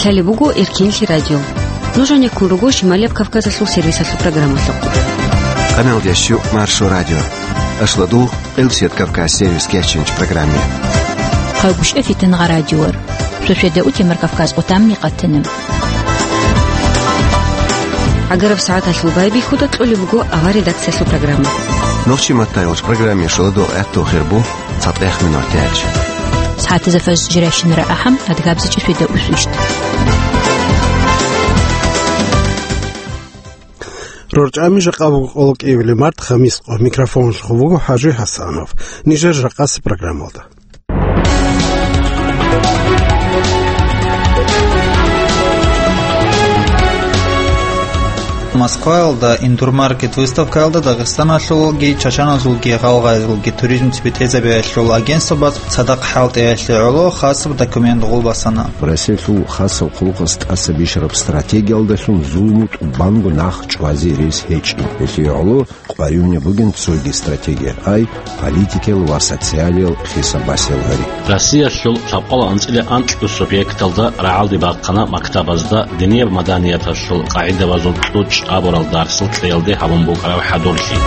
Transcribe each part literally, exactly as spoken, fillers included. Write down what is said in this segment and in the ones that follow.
Лъалеб буго Эркинлъи радио. Нуж гьанеккун руго Шималияб Кавказалъул сервисалъул программалъухъ. Къаналдияс щу Маршо радио. Ашлодугъ Элчет Кавказ сервис кечинч программе. Хъагушев Фитнагъа радиор. Шошведа утемар Кавказ отамни къатана. Агараб сагӀаталъул байбихьуда кьолеб буго авар редакциялъул программа. Нохчи маттайолч программе шоладугъ гӀатту хирбу. ЦатӀех минуталъ. СагӀатазда фажр жирайщинара ахӀам, адгабзичӀеб шведа усвищ. РорчӀами жакъа буго къоло кӀиабилеб март, хамис къо. Микрофонлъухъ вуго ХӀажи ХӀасанов. Нижер жакъасеб программалда. Москваялда Индурмаркет выставкаялда Дагъистаналъулги, Чачаназулги, Гъалгъайзулги туризм цебетӀезабиялъул агентствояз цадахъ хӀалтӀиялъе гӀоло хасаб документ гъулбасана. Россиялъул хасаб хъулухъас тӀаса бищараб стратегиялдалъун зулму тӀубанго нах чӀвазе рес гьечӀин. Гьелъие гӀоло къваригӀунеб бугин цоги стратегия, ай политикиял ва социалиял хисаб-басиялъ гьари. Россиялъул лъабкъоялда анцӀила анкьго субъекталда рагӀалде бахъана мактабазда динияб маданияталъул къагӀидабазул кьучӀ абурал дарсал кьеялде гьабун букӀараб хӀадурлъи.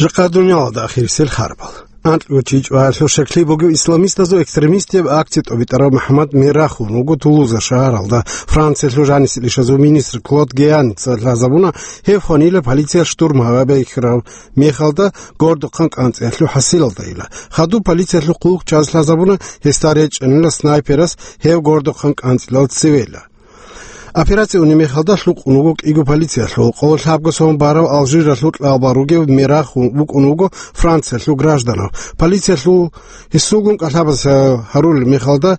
Жакъа дуниялалда ахирисел харбал. АнкьгӀучи чӀваялъул щаклъи бугев исламистазул экстремистияб акция тӀобитӀарав МухӀаммад Мерахун вуго Тулуза шагьаралда. Франциялъул жанисел ишазул министр Клод Геаница лъазабуна, гьев хванила полициял штурм гьабейхьарав мехалда гордухъан кӀанцӀиялъул хӀасилалдайила. Хадуб полициялъул хъулухъчияз лъазабуна, гьесда речӀчӀанила снайперас гьев гордухъан кӀанцӀилал цевейила. Операция унеб мехалда лъукъун вуго кӀиго полициялъул. Къоло лъабго сон барав Алжиралъул кьалбал ругев Мерахун вукӀун вуго Франциялъул гражданав. Полициялъул гьесулгун кӀалъабаз гьарулеб мехалда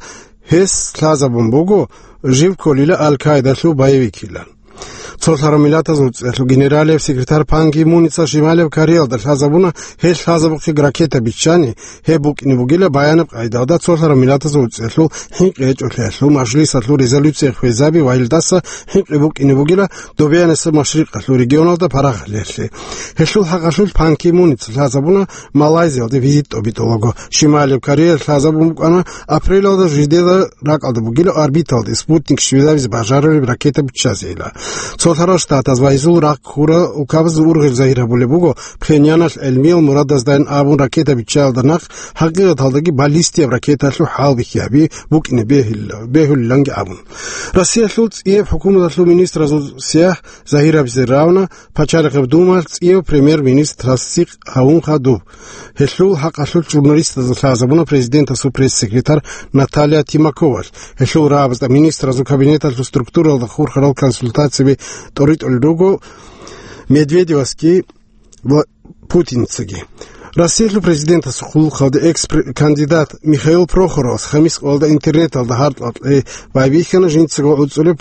гьес лъазабун буго жив кколила Аль-Каидалъул боевикилан. Цолъарав Миллатазул ЦӀиялъул генералияб секретарь Пан Ги Муница Шималияб Кореялда лъазабуна, гьел лъазабухъе ракета биччани, гьеб букӀине бугила баянаб къайдалда Цолъарав Миллатазул ЦӀиялъул хӀинкъи гьечӀолъиялъул мажлисалъул резолюция хвезаби ва гьелдаса хӀинкъи букӀине бугила Добиянасеб Машрикъалъул регионалда парагъалъиялъе. Гьелъул хӀакъалъулъ Пан Ги Муница лъазабуна Малайзиялде визит тӀобитӀулаго. Шималияб Кореялъ лъазабун букӀана апрелалда жидеда ракӀалда бугила орбиталде Спутник щвезабизе бажарулеб ракета биччазейила. Цолъарал Штатаз ва гьезул рахъ хьурал улкабаз ургъел загьир гьабулеб буго, Пхеньяналъ гӀелмиял мурадаздайин абун ракета биччаялда нахъ, хӀакъикъаталдаги баллистияб ракеталъул хӀалбихьи гьаби букӀине бегьил-, бегьулиланги абун. Россиялъул цӀияб хӀукуматалъул министразул сияхӀ загьир гьабизе равна, Пачалихъаб Думаялъ цӀияб премьер-министр тасдикъ гьавун хадуб. Гьелъул хӀакъалъулъ журналистазда лъазабуна президентасул пресс-секретарь Наталья Тимаковалъ. Гьелъул рагӀабазда министразул кабинеталъул структуралда хурхарал консультацияби тӀоритӀулел руго Медведевасги ва Путинцаги. Россиялъул президентасул хъулухъалде экс-кандидат Михаил Прохоровас хамис къоялда интернеталда гьаркьа-кье байбихьана жинцаго гӀуцӀулеб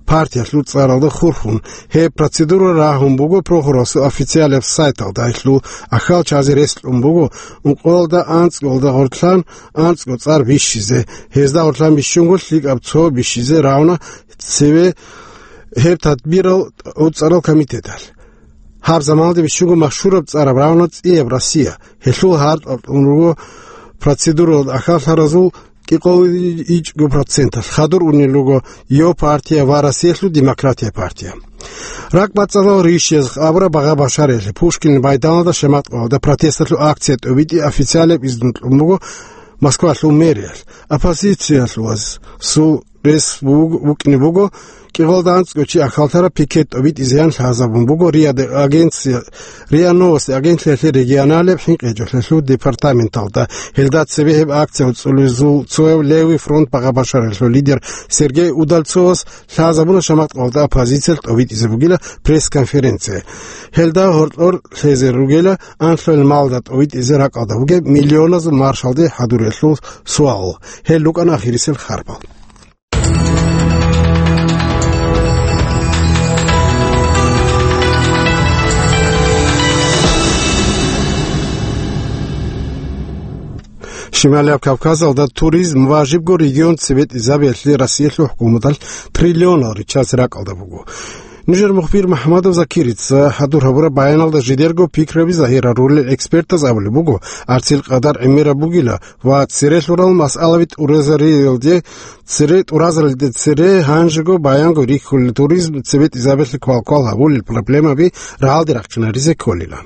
партиялъул цӀаралда хурхун. Гьеб процедура рагьун буго Прохоровасул официалияб сайталда, гьелъул ахьал чазе рес кьун буго ункъоялда анцӀгоялда гъорлъан анцӀго цӀар бищизе, гьезда гъорлъан бищунго лъикӀаб цо бищизе равна цеве гьеб тадбирал гӀуцӀарал комитеталъ. Гьаб заманалда бищунго машгьураб цӀараб равна цӀияб Россия. Гьелъул гьаркьа-кьун руго процедуралда ахьаллъаразул кӀикъоялда ичӀго проценталъ, хадур унел руго Йо партия ва Россиялъул демократия партия. РакӀбацӀцӀадал рищиязухъ абураб багъа-башариялъе Пушкинил майданалда шаматкъоялда протесталъул акция тӀобитӀи официалияб изну кьун буго Москвалъул мэриялъ. Оппозициялъул рес буг-, букӀине буго, кӀикъоялда анцӀго чи ахьаллъараб пикет тӀобитӀизеян лъазабун буго РИА-да агенция, РИА Новости агентлъиялъе регионалияб хӀинкъи гьечӀолъиялъул департаменталда. Гьелда цебе гьеб акция гӀуцӀулезул цояв Левый фронт багъа-башариялъул лидер Сергей Удальцовас лъазабуна шаматкъоялда оппозициялъ тӀобитӀизе бугила пресс-конференция. Гьелда гьоркьор лъезе ругела анлъго малда тӀобитӀизе ракӀалда бугеб миллионазул маршалде хӀадуриялъул суал. Гьел рукӀана ахирисел харбал. Шималияб Кавказалда туризм ва жибго регион цебетӀизабиялъе Россиялъул хӀукуматалъ триллионал риччазе ракӀалда буго. Нужер мухбир МухӀаммадов Закирица хӀадур гьабураб баяналда жидерго пикраби загьирарулел экспертаз абулеб буго, арцил къадар гӀемераб бугила ва цере лъурал масъалаби тӀуразариялде цере, тӀуразаралде цере гьанжего баянго рихьулел туризм цебетӀизабиялъе квалквал гьабулел проблемаби рагӀалде рахчинаризе кколила.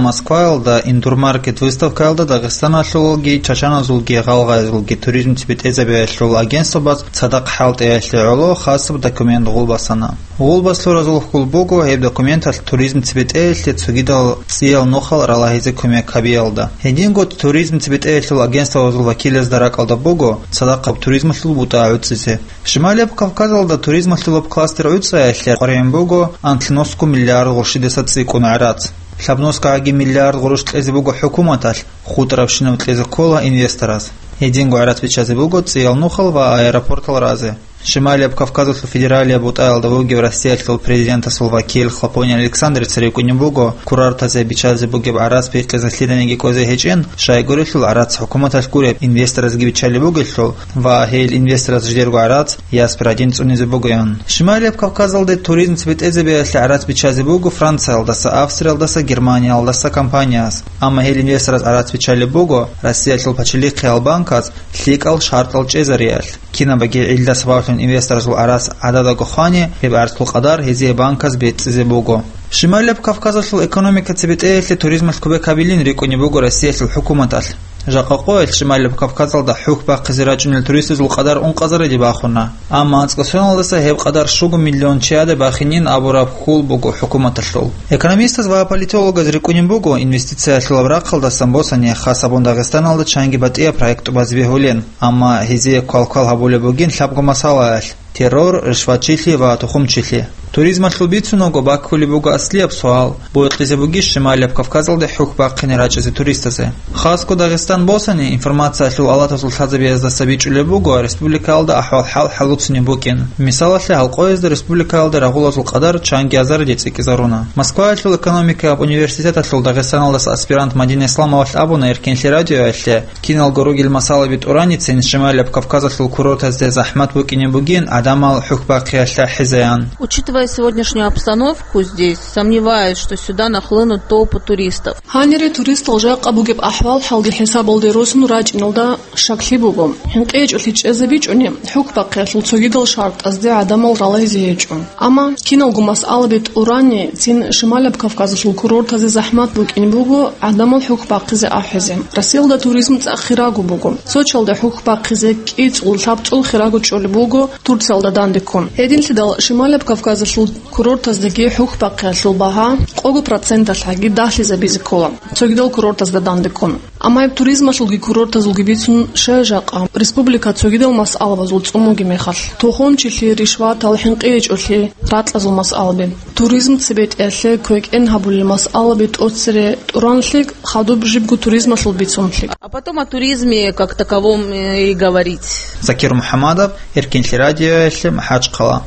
Москваялда Индурмаркет выставкаялда Дагъистаналъулги, чачаназулги, гъалгъайзулги туризм цебетӀезабиялъул агентствабаз цадахъ хӀалтӀиялъе гӀоло хасаб документ гъул басана. Гъул баслуразул хьул буго гьеб документалъ туризм цебетӀеялъе цогидал цӀиял нухал ралагьизе кумек гьабиялда. Гьединго туризм цебетӀеялъул агентствабазул вакилазда ракӀалда буго цадахъаб туризмалъул бутӀа гӀуцӀизе. Шималияб Кавказалда туризмалъулаб кластер гӀуцӀаялъе къваригӀун буго анлънусго миллиард гъурщидаса цӀикӀкӀун гӀарац. ЛъабнусгагӀаги миллиард гъурущ кьезе буго хӀукуматалъ, хутӀарабщинаб кьезе ккола инвестораз. Гьединго гӀарац биччазе буго цӀиял нухал ва аэропортал разе. Шималияб Кавказалъул федералияб бутӀаялда вугев Россиялъул президентасул вакил Хлопонин Александрица рикӀкӀунеб буго, курортазе биччазе бугеб гӀарац бихъизе лъиданиги кӀвезе гьечӀин, щайгурелъул гӀарац хӀукуматалъ гуреб инвесторазги биччалеб бугелъул ва гьел инвестораз жидерго гӀарац яс пирадин цӀунизе бугоян. Шималияб Кавказалде туризм цебетӀезабиялъе гӀарац биччазе буго Франциялдаса, Австриялдаса, Германиялдаса компанияс. Амма гьел инвестораз гӀарац биччалеб буго Россиялъул пачалихъиял банказ лъикӀал шартӀал чӀезариялъ. Кинабаги гӀилла сабаблъун инвесторазул гӀарац гӀададаго хвани, гьеб гӀарцул къадар гьезие банказ бецӀизе буго. Шималияб Кавказалъул экономика цебетӀеялъе туризмалъ кумек гьабилин рикӀкӀунеб буго Россиялъул хӀукуматалъ. Жакъа къоялъ Шималияб Кавказалда хӀухь бахъизе рачӀунел туристазул къадар ункъазариде бахуна. Амма анцӀго соналдаса гьеб къадар щуго миллион чияда бахинин абураб хьул буго хӀукуматалъул. Экономистаз ва политологаз рикӀкӀунеб буго инвестициялъулаб рахъалдасан босани хас гьабун Дагъистаналда чанги батӀияб проект тӀубазе бегьулин, амма гьезие квалквал гьабулеб бугин лъабго масъалаялъ: террор, ришватчилъи ва тухумчилъи. Туризмалъул бицунаго баккулеб буго аслияб суал: бокьизе бугищ Шималияб Кавказалде хӀухь бахъине рачӀизе туристазе? Хасго Дагъистан босани, информациялъул алатазул лъазабияздаса бичӀчӀулеб буго республикаялда ахӀвал-хӀал хӀалуцинеб букӀин. Мисалалъе, гьалкъоязда республикаялда рагъулазул къадар чанги азариде цӀикӀкӀизарун. Москваялъул экономикаяб университеталъул Дагъистаналдаса аспирант Мадина Исламовалъ абуна Эркинлъи радиоялъе, киналго ругел масъалаби тӀураницин Шималияб Кавказалъул курортазде захӀмат букӀине бугин гӀадамал хӀухь бахъиялъ ахӀизеян. Учитывая сегодняшнюю обстановку здесь, сомневаюсь, что сюда нахлынут толпы туристов. Гьанире туристал жакъа бугеб ахӀвал-хӀалги хӀисабалде росун рачӀиналда щаклъи буго. ХӀинкъи гьечӀолъи чӀезабичӀони, хӀухь бахъиялъул цогидал шартӀазде гӀадамал ралайзе гьечӀо. Амма киналго масъалаби тӀурани цин Шималаб Кавказалъул курортазе захӀмат букӀин буго гӀадамал хӀухь бахъизе ахӀизе. Россиялда туризм цӀакъ хирагу буго. Сочиялда хӀухь бахъизе кӀицӀул-лъабцӀул хирагу чӀолеб буго Турциялда дандеккун. Гьединлъидал Шималаб Кавказалъул курортаздаги хӀухь бахъиялъул багьа къого проценталъ гьаги дагьлъизабизе ккола, цогидал курортазда дандеккун. Амма гьеб туризмалъулги курортазулги бицун щай жакъа? Республика цогидал масъалабазул цӀумуги мехалъ: тухумчилъи, ришватал, хӀинкъи гьечӀолъи, ракьазул масъалаби, туризм цебетӀеялъе квекӀен гьабулел масъалаби тӀоцере тӀуранлъи, хадуб жибго туризмалъул бицунлъи. А потом о туризме как таковом, э, и говорить. Закир МухӀаммадов, Эркинлъи радиоялъе, МахӀачхъала.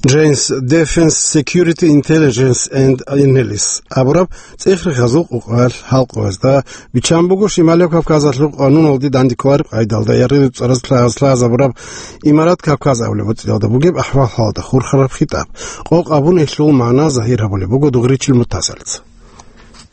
Jane's Defence Security Intelligence and Analysis абураб цӀех-рехазул къокъаялъ халкъ гьезда биччан буго, Шималияб Кавказалъул къануналде дандеккараб къайдалда яргъи цӀараз лъазабураб Имарат Кавказ абулеб боцӀиялда бугеб ахӀвал-хӀалда хурхараб хитӀаб. Къокъ абун гьелъул магӀна загьир гьабулеб буго Дугъричил Мутасалица.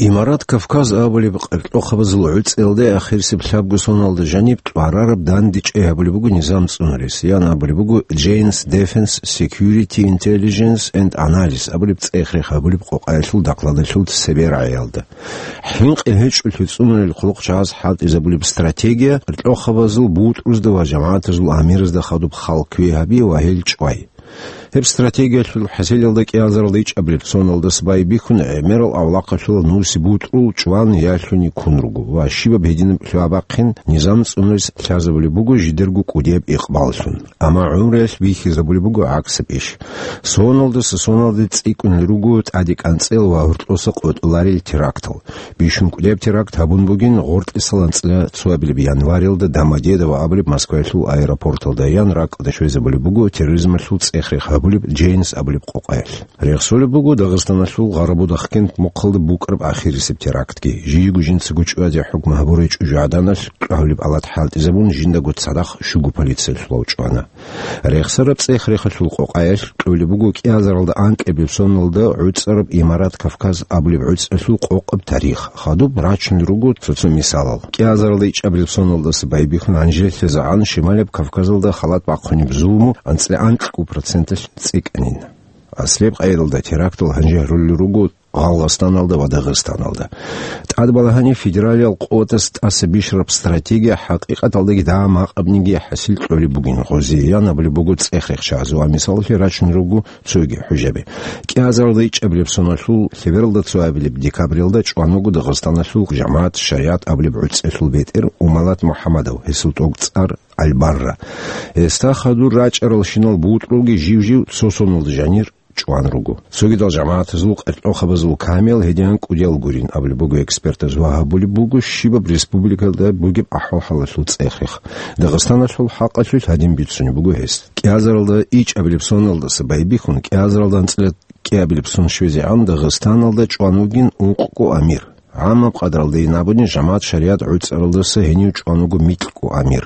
Имарат Кавказ абулеб къеркьохъабазул гӀуцӀиялда ахирисеб лъабго соналда жаниб тӀварараб дандечӀей гьабулеб буго низам цӀунарес, ян абулеб буго Jane's Defence Security Intelligence and Analysis абулеб цӀех-рех гьабулеб къокъаялъул докладалъул цебе рагӀиялда. ХӀинкъи гьечӀолъи цӀунулел хъулухъчагӀаз хӀалтӀизабулеб стратегия къеркьохъабазул бутӀрузда ва жамагӀатазул амиразда хадуб халкъ квей гьаби ва гьел чӀвай. Гьеб стратегиялъул хӀасилалда кӀиазаралда ичӀабилеб соналдаса байбихьун гӀемерал авлахъалъула нуси бутӀрул чӀван ялъуни ккун руго ва щибаб гьединаб лъугьа-бахъин низам цӀунарес лъазабулеб буго жидерго кӀудияб икъбаллъун. Амма гӀумруялъ бихьизабулеб буго гӀаксаб иш. Соналдаса соналде цӀикӀкӀунел руго тӀаде кӀанцӀел ва гьоркьоса къотӀуларел терактал. Бищун кӀудияб теракт гьабун бугин гъоркьисал анцӀила цоабилеб январилда Домодедово абулеб Москваялъул аэропорталда, ян ракӀалде щвезабулеб буго терроризмалъул цӀех-рех гьабулеб Джейнс абулеб къокъаялъ. Рехсолеб буго Дагъистаналъул Гъарабудахкент мухъалда букӀараб ахирисеб терактги. Жийго жинцаго чӀвазе хӀукму гьабурай чӀужугӀаданалъ чӀвагьулеб алат хӀалтӀизабун, жиндаго цадахъ щуго полициялъулав чӀвана. Рехсараб цӀех-рехалъул къокъаялъ кьолеб буго кӀиазаралда анкьабилеб соналда гӀуцӀараб Имарат Кавказ абулеб гӀуцӀалъул къокъаб тарих. Хадуб рачун руго цо-цо мисалал. КӀиазаралда ичӀабилеб соналдаса байбихьун гьанжелъизегӀан Шималаб Кавказалда халат бахъунеб зулму анцӀила анкьго проценталъ цӀикӀкӀанин. Аслияб къайдалда терактал гьанже гьарулел руго Гъалгъастаналда ва Дагъистаналда. ТӀадбалагьани, федералиял къуватаз тӀаса бищараб стратегия хӀакъикъаталдаги дагьа-макъабниги хӀасил кьолеб бугин, гъозие ян абулеб буго цӀех-рехчаз ва мисалалъе рачун руго цоги хӀужаби. КӀиазаралда ичӀабилеб соналъул лъебералда цоабилеб декабралда чӀван вуго Дагъистаналъул жамагӀат шаригӀат абулеб гӀуцӀалъул бетӀер Умалат МухӀамадов, гьесул тӀокӀцӀар Аль-Барра. Гьесда хадур рачӀаралщинал бутӀрулги жив-жив цо соналда жанир чӀван руго. Цогидал жамагӀатазул къеркьохабазул камиял гьединан кӀудиял гурин абулеб буго экспертаз ва гьабулеб буго щибаб республикалда бугеб ахӀвал-хӀалалъул цӀех-рех. Дагъистаналъул хӀакъалъулъ гьадин бицунеб буго гьес. КӀиазаралда ичӀабилеб соналдаса байбихьун, кӀиазаралда анцӀила кӀиабилеб сон щвезегӀан Дагъистаналда чӀван вугин ункъго амир. ГӀаммаб къадралдайин абуни, жамагӀат шаригӀат гӀуцӀаралдаса гьенив чӀван вуго микьго амир.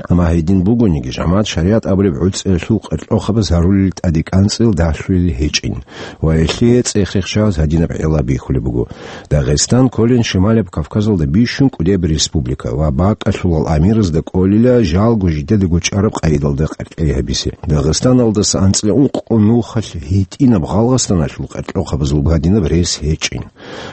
Амма гьедин бугониги, жамагӀат шаригӀат абулеб гӀуцӀиялъул къеркьохабаз гьарулел тӀадекӀанцӀил дагьлъулел гьечӀин. Ва гьелъие цӀех-рехчаз гьадинаб гӀилла бихьулеб буго: Дагъистан кколин Шималаб Кавказалда бищун кӀудияб республика ва бакӀалъулал амиразда кӀолила жалго жидедаго чӀараб къайдалда къеркьей гьабизе. Дагъистаналдаса анцӀила ункъго нухалъ гьитӀинаб Гъалгъастаналъул къеркьохабазул гьадинаб рес гьечӀин.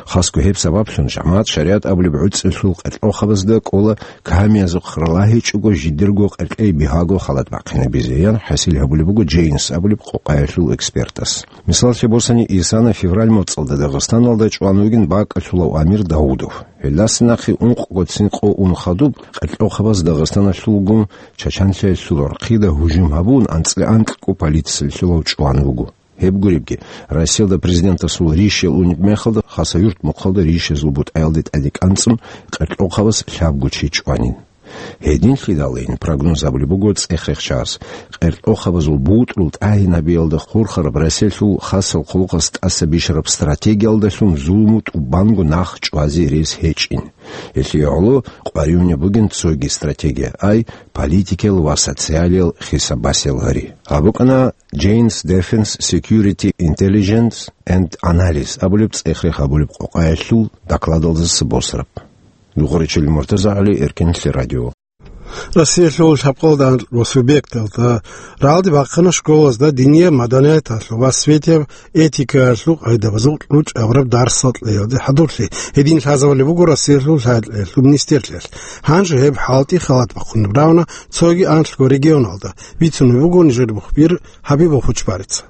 Хасго гьеб сабаблъун жамагӀат шаригӀат абулеб гӀуцӀиялъул къеркьохабазда кӀола камиязухъ ралагьичӀого жидерго къеркьей бигьаго халат бахъинабизе, ян хӀасил гьабулеб буго Джейнс абулеб къокъаялъул экспертас. Мисаллъи босани, исана февраль моцӀалда Дагъистаналда чӀван вугин бакӀалъулав амир Даудов. Гьелдаса нахъе ункъго цин къо ун хадуб, къеркьохабаз Дагъистаналъулгун Чачанлъиялъул гӀурхъида гьужум гьабун, анцӀила анкьго полициялъулав чӀван вуго. Гьеб гуребги, Россиялда президентасул ришиял унеб мехалда, Хасавюрт мухъалда ришазул бутӀаялде тӀадекӀанцӀун къеркьохабаз лъабго чи чӀванин. Гьединлъидалин прогноз гьабулеб буго цӀех-рехчаз, къеркьохабазул бутӀрул тӀагьинабиялда хурхараб Россиялъул хасал хъулухъас тӀаса бищараб стратегиялдалъун зулму тӀубанго нах чӀвазе рес гьечӀин. Гьелъие гӀоло къваригӀунеб бугин цоги стратегия, ай политикиял ва социалиял хисаб-басиялъ гьари. Гьаб букӀана Jane's Defense Security Intelligence and Analysis абулеб цӀех-рех гьабулеб къокъаялъул докладалдаса босараб. Духаричил МуртазагӀали, Эркенлъи радио. Россиялъул лъабкъалда анкьго субъекталда рагӀалде бахъана школазда динияб маданияталъул ва светияб этикаялъул къайдабазул кьучӀ абураб дарсал кьеялде хӀадурлъи. Гьедин лъазабулеб буго Россиялъул лъай-кьеялъул министрлъиялъ. Гьанже гьеб хӀалтӀи халат бахъунеб равна цоги анлъго регионалда. Бицунеб буго нижер мухбир Хабибов Хучбарица.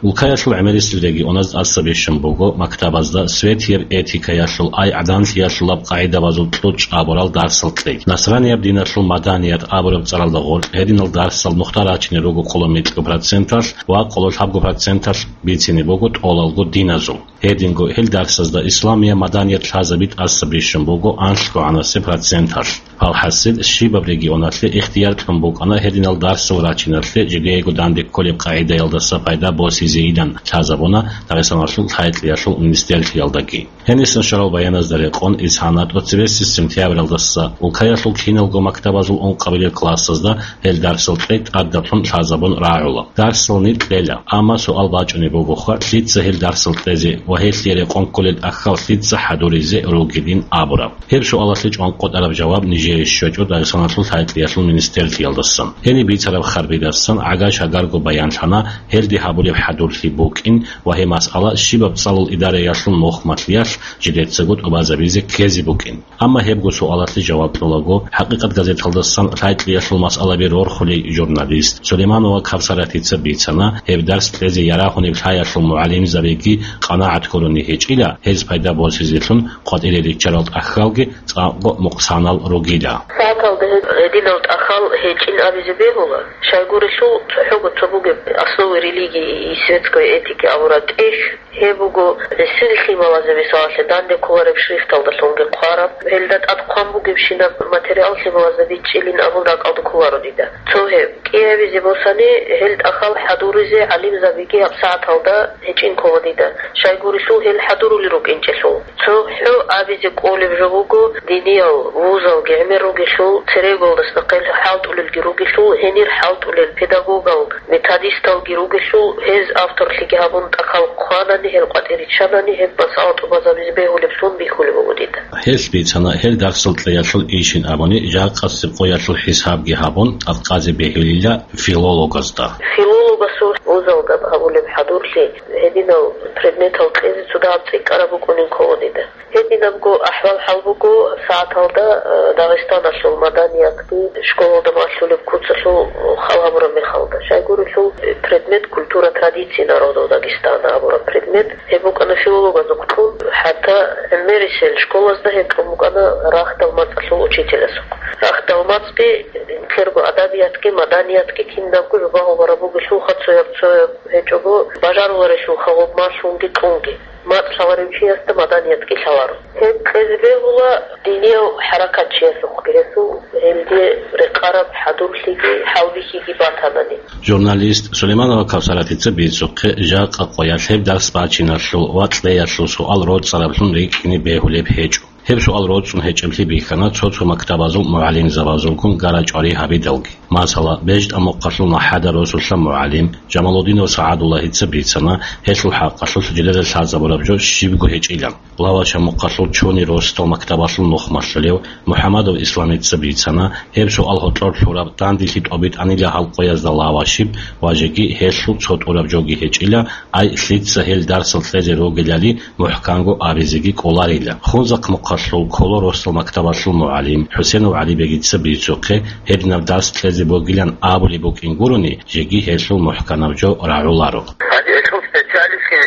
Улкаялъул гӀемерисел регионаз тӀаса бищун буго мактабазда светияб этикаялъул ай гӀаданлъиялъулаб къагӀидабазул кьучӀ абурал дарсал кьей. Насранияб диналъул маданият абураб цӀаралда гъоркь гьединал дарсал нухда рачине руго къоло микьго проценталъ ва къоло лъабго проценталъ бицине буго тӀолалго диназул. Гьединго гьел дарсазда исламияб маданият лъазаби тӀаса бищун буго анлъго гӀанасеб проценталъ. АлхӀасил, щибаб регионалъе ихтияр кьун букӀана гьединал дарсал рачиналъе жидеего данде кколеб къагӀидаялдаса пайда босизейилан лъазабуна Дагъистаналъул лъай-кьеялъул министрлъиялдаги. Гьенисан щварал баяназда рекъон, исана тӀоцебесеб сентябралдаса улкаялъул киналго мактабазул ункъабилеб классазда гьел дарсал кьей тӀадаблъун лъазабун рагӀула. Дарсал никъ кьела, амма суал бачӀунеб бугоха, лъица гьел дарсал кьезе ва гьелъие рекъон кколел тӀахьал лъица хӀадуризе ругилин абураб. Гьеб суалалъе чӀванкъотӀараб жаваб нижее щвечӀо Дагъистаналъул лъай-кьеялъул министрлъиялдасан. Гьениб бицараб харбидасан гӀага-шагарго баянлъана гьелде гьабулеб хӀадурлъи букӀин ва гьеб масъала щибаб цӀалул идараялъул мухь-малъиялъ жидецаго тӀубазабизе ккезе букӀин. Амма гьебго суалалъе жаваб кьолаго, ХӀакъикъат газеталдасан лъай-кьеялъул масъалаби рорхулей журналист Сулейманова Кавсаратица бицана, гьеб дарс кьезе ярагьунеб лъаялъул мугӀалимзабиги къанагӀат гурони гьечӀила, гьез пайда босизелъун къватӀире риччарал тӀахьалги цӀакъго мукъсанал ругила. Как Гьединал тӀахал гьечӀин абизе бегьула, щайгурелъул цохӀого цо бугеб основы религии и светской этики абураб тӀехь, гьеб буго гӀисил лъималазе, мисалалъе, данде кколареб шрифталдалъунги хъвараб, гьелда тӀад хъван бугебщинаб материал лъималазда бичӀчӀилин абун ракӀалда кколаро дида. Цо гьеб кӀиабизе босани, гьел тӀахал хӀадуризе гӀалимзабиги гьабсагӀаталда гьечӀин ккола дида, щайгурелъул гьел хӀадурули рукӀинчӀелъул. ЦохӀо абизе кӀолеб жо буго, диниял вузалги гӀемер ругелъул, церегоялдаса нахъе хӀалтӀулелги ругелъул, гьенир хӀалтӀулел педагогал, методисталги ругелъул, гьез авторлъиги гьабун тӀахал хъванани, гьел къватӀир риччанани, гьеб масъала тӀубазабизе бегьулеблъун бихьулеб буго дида. Гьелъ бицана, гьел дарсал кьеялъул ишин абуни, жакъасеб къоялъул хӀисабги гьабун, тӀадкъазе бегьулила филологазда. Филологасул вузалда гьабулеб хӀадурлъи гьединал предметал кьезе цо дагьаб цӀикӀкӀараб букӀунин ккола дида. Гьединабго ахӀвал-хӀал буго сагӀаталда, э, Дагъистаналъул маданиятги школалда малъулеб куцалъул хал гьабураб мехалда. Щайгурелъул, э, предмет культура традиции народов Дагестана абураб предмет, гьеб букӀана филологазухъ кьун, хӀатта гӀемерисел школазда гьеб кьун букӀана рахьдал мацӀалъул учителасухъ. Рахьдал мацӀги, нилъерго адабиятги, маданиятги кинабго жубагьу бараб бугелъулха, цояб-цояб гьечӀого бажаруларелъулха гъуб малъунги кьунги. МацӀ лъаларев чиясда маданиятги лъаларо. Гьеб кьезе бегьула динияв хӀаракатчиясухъги, гьесул гьелде рекъараб хӀадурлъиги хӀалбихьиги батанани. Журналист Сулейманова Кавсаратица бицухъе, жакъа къоялъ гьеб дарс бачиналъул ва кьеялъул суал роцӀцӀараблъун рикӀкӀине бегьулеб гьечӀо. Гьеб суал роцӀцӀун гьечӀеблъи бихьана цо-цо мактабазул мугӀалимзабазулгун гара-чӀвари гьабидалги. Масала, БежтӀа мухъалъул МахӀада росулъа мугӀалим Жамалудинов СагӀадуллагьица бицана, гьелъул хӀакъалъулъ жидеда лъазабураб жо щибго гьечӀилан. Лаваша мухъалъул Чуни росдал мактабалъул нухмалъулев МухӀамадов Исламица бицана, гьеб суал гьоркьор лъураб, дандилъи тӀобитӀанила гьал къоязда лавашиб ва жеги гьелъул цо тӀураб жоги гьечӀила, ай, лъица гьел дарсал кьезе ругелали мухӀканго абизеги кӀоларила. Хунзахъ мухъалъул Коло росдал мактабалъул мугӀалим ХӀусенов ГӀалибегица бицухъе, гьединаб дарс кьезе бугилан абулеб букӀин гурони, жеги гьелъул мухӀканаб жо рагӀуларо. Гьанже гьелъул специалистги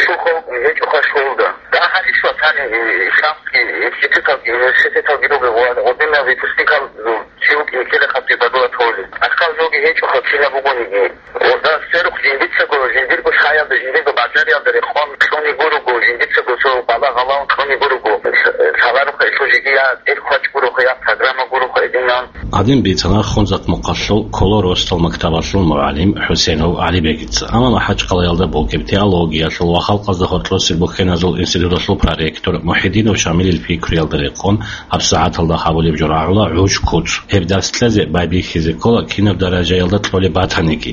щухав гьечӀоха школда. Дагьалищ ватани, э, исламский институталги, университеталги ругел ва гъодинал выпускникал чи вукӀин ккелехъабги бадула толи. Ахъал жоги гьечӀоха кинаб бугониги. Гъода сверухъ жиндицаго, жиндирго шаялда, жиндирго базариялда рекъон кьуни гуруго, жиндицаго цо бала гъалаун кьуни гуруго. Лъаларухъа ишо жиги я тӀел хъвач гуруха, я программа гуруха эдинан. Гьадин бицана Хунзахъ мухъалъул Коло росдал мактабалъул мугӀалим ХӀусенов ГӀалибегица. Амма МахӀачхъалаялда бугеб теологиялъул ва халкъазда гьоркьосел бухьеназул институталъул проректор МухӀидинов Шамилил пикруялда рекъон, гьабсагӀаталда гьабулеб жо рагӀула гӀуж-куц. Гьеб дарс кьезе байбихьизе ккола кинаб даражаялда кьолеб батаниги.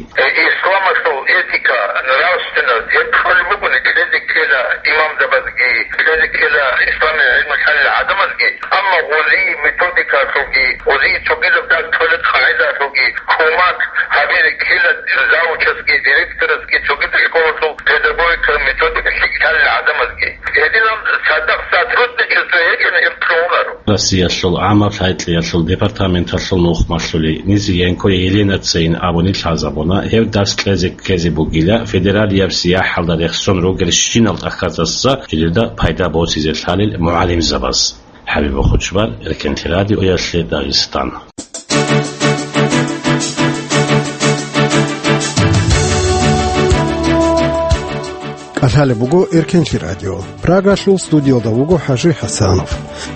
Исламалъул этика, нравственность, гьеб кьолеб бугони, кьезе ккела имамзабазги, кьезе ккела исламияб гӀилму лъалел гӀадамазги, амма гъозие методикалъулги, гъозие цогидаб дарс кьолеб къагӀидалъулги, хъумат гьабизе ккела завучасги, директорасги, цогидаб школалъул педагогикалъул методика лъикӀ лъалел гӀадамазги. Гьединаб цадахъ сотрудничество гьечӀони, гьеб кьунаро. Россиялъул гӀаммаб лъай-кьеялъул департаменталъул нухмалъули Низиенко Еленацайин абуни лъазабуна, гьев дарс кьезе ккезе бугила, федералияб сияхӀалда рехсон ругел щинал тӀахьазаса жидеда пайда босизе лъалел мугӀалимзабаз. ХӀабиб Хучбар, Эркенлъи радиоялъе, Дагъистан. КӀалъалеб буго Эркенлъи радио. Прагалъул студиялда вуго ХӀажи ХӀасанов.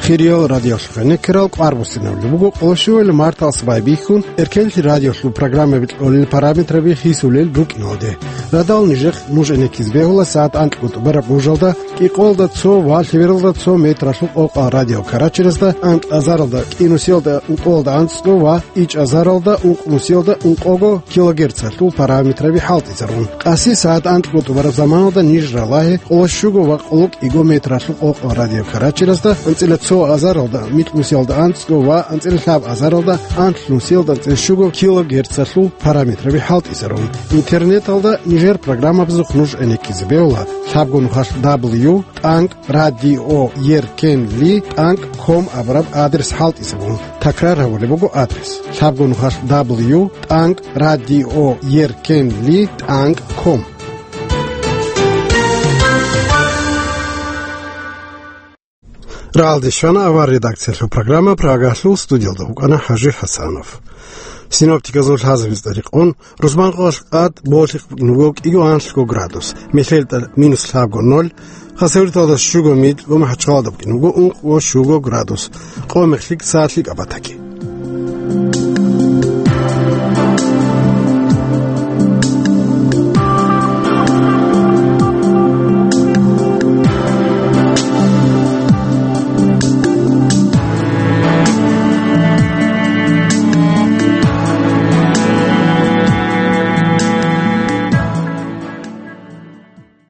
Хириял радиолъухъе некерал къварбуссинабулеб буго къоло щуялъ марталъ байбихьун Эркенлъи радиолъул программаби кьолел параметраби хисулел рукӀиналде. Радал нижехъ нуж гӀенеккизе бегьула сагӀат анкьго тӀубараб нужалда, кӀикъоялда цо ва лъебералда цо метралъул къокъал радиокарачерасда, анкь азаралда кӀинусиялда ункъоялда анцӀго ва ичӀазаралда ункънусиялда ункъого килогерцалъул параметраби хӀалтӀизарун. Къаси сагӀат анкьго тӀубараб заманалда ниж ралагье къоло щуго ва къоло кӀиго метралъул къокъал радиокарачерасда, анцӀила цо азаралда микьнусиялда анцӀго ва анцӀила лъаб азаралда анлънусиялда анцӀила щуго килогерцалъул параметраби хӀалтӀизарун. Интернеталда нижер программабазухъ нуж гӀенеккизе бегьула лъабго нухалъ дабл ю тӀанкӀ радио еркенли тӀанкӀ ком абураб адрес хӀалтӀизабун. Такрар гьабулеб буго адрес: лъабго нухалъ дабл ю тӀанкӀ радио еркенли тӀанкӀ ком. Рагьалде щвана авар редакциялъул программа, Прагалъул студиялда вукӀана ХӀажи ХӀасанов. Синоптиказул лъазабиз тӀадикъун, рузманкъоялъ къад болъихъ буго кӀиго анлъго градус, МехьелтӀа минус лъабго ноль, Хасавюрталда щуго микь ва МахӀачхъалада букӀин буго ункъго щуго градус, къо-мех лъикӀ са лъикӀаб батаги.